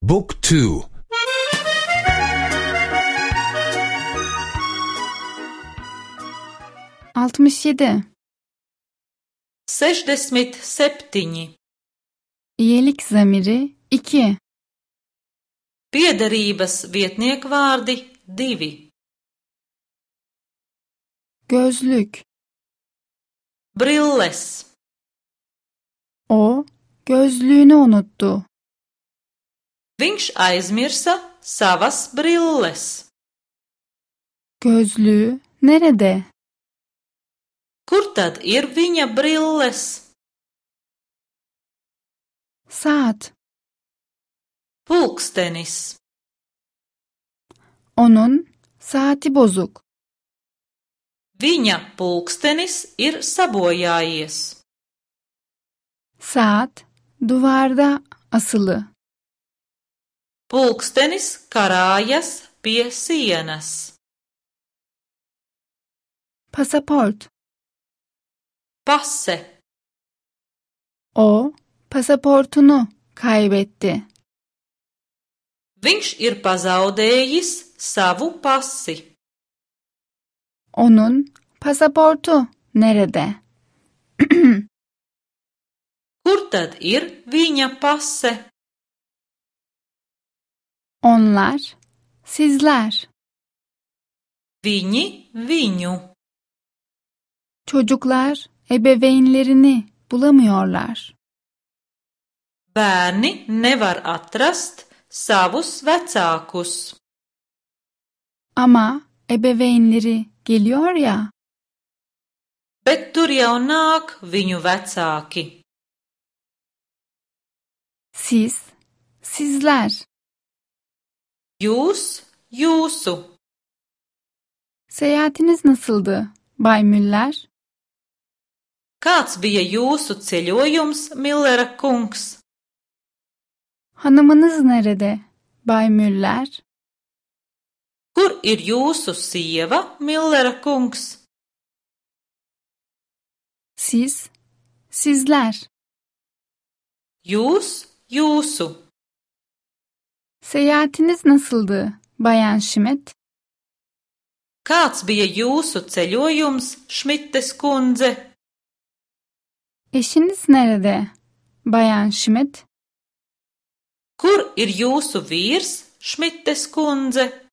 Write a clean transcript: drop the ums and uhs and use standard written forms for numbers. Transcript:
Book 2. 67. 67. İyelik zamiri 2. Piederības vietniekvārdi 2. Gözlük. Brilles. O gözlüğünü unuttu. Viņš aizmirsa savas brilles. Gözlüğü nerede? Kur tad ir viņa brilles? Saat. Pulkstenis. Onun saati bozuk. Viņa pulkstenis ir sabojājies. Saat duvarda asılı. Pulkstenis karājas pie sienas. Pasaport. Pase. O pasaportunu kaybetti. Viņš ir pazaudējis savu pasi. Onun pasaportu nerede? Kur tad ir viņa pase? Onlar, sizler. Viņi viņu. Çocuklar ebeveynlerini bulamıyorlar. Bērni nevar atrast savus vecākus. Ama ebeveynleri geliyor ya. Bet tur jau nāk viņu vecāki. Siz, sizler. Jūs, jūsu. Seyahatiniz nasıldı, Bay Müller? Kāds bija jūsu ceļojums, Millera kungs? Hanımınız nerede, Bay Müller? Kur ir jūsu sieva, Millera kungs? Siz, sizler. Jūs, jūsu. Seyahatiniz nasıldı, Bayan Schmidt? Kāds bija jūsu ceļojums, Šmites kundze? Eşiniz nerede, Bayan Schmidt? Kur ir jūsu vīrs, Šmites kundze?